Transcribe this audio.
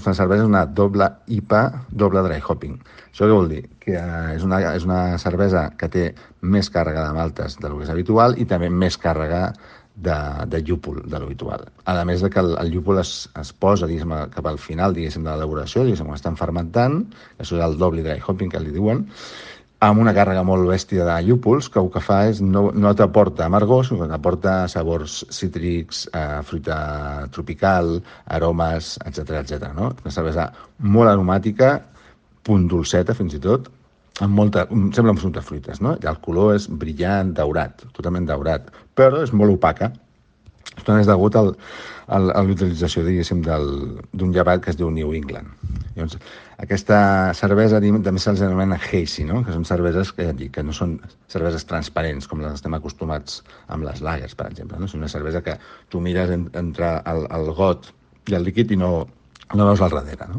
una cervesa és una doble IPA, doble dry hopping. Això què vol dir? Que és una cervesa que té més càrrega de maltes del que és habitual i també més càrrega de llúpol de l'habitual. A més de que el llúpol es posa, diguéssim, cap al final, diguéssim, de l'elaboració, diguéssim, quan estan fermentant, això és el doble dry hopping que li diuen, amb una càrrega molt bèstia de llúpols, que el que fa és no t'aporta amargor, sinó que t'aporta sabors cítrics, fruita tropical, aromes, etc, no? Una cervesa molt aromàtica, punt dolceta fins i tot, amb sembla amb fruita fruites, no? I el color és brillant, daurat, totalment daurat, però és molt opaca. Això és degut a l'utilització, diguéssim, d'un llevat que es diu New England. Llavors, aquesta cervesa també se'ls anomena hazy, no? Que són cerveses que no són cerveses transparents, com les estem acostumats amb les lagers, per exemple. No? És una cervesa que tu mires entre el got i el líquid i no veus al darrere. No?